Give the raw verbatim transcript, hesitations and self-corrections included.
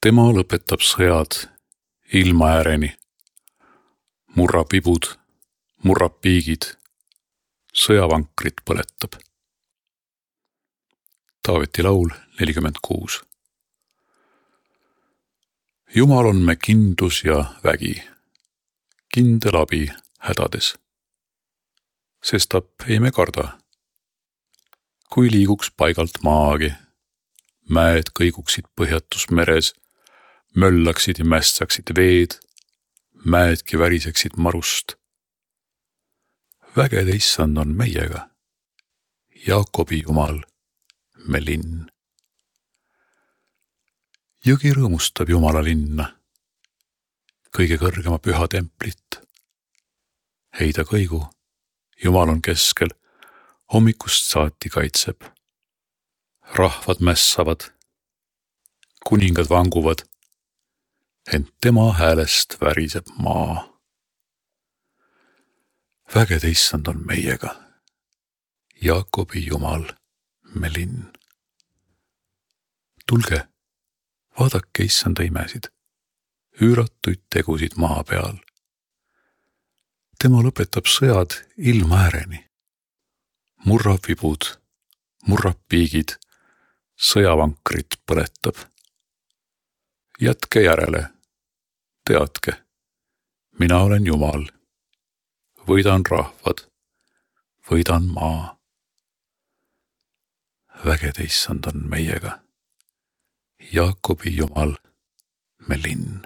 Tema lõpetab sõjad ilma ääreni, murrab ibud, murrab piigid, sõjavankrit põletab. Taaveti laul nelikümmend kuus. Jumal on me kindlus ja vägi, kindel abi hädades. Sestap ei me karda, kui liiguks paigalt maagi, mäed kõiguksid põhjatus meres, möllaksid ja mässaksid veed, mäedki väriseksid marust. Vägede issand on meiega, Jaakobi Jumal, me linn. Jõgi rõõmustab Jumala linna, kõige kõrgema püha templit. Heida kõigu, Jumal on keskel, hommikust saati kaitseb. Rahvad mässavad, kuningad vanguvad, ent tema häälest väriseb maa. Vägede issand on meiega, Jaakobi Jumal, me linn. Tulge, vaadake issanda imesid, üüratuid tegusid maa peal. Tema lõpetab sõjad ilma ääreni, murrab vibud, murrab piigid, sõjavankrit põletab. Jätke järele, teadke, mina olen Jumal, võidan rahvad, võidan maa. Vägede issand on meiega, Jaakobi Jumal, me linn.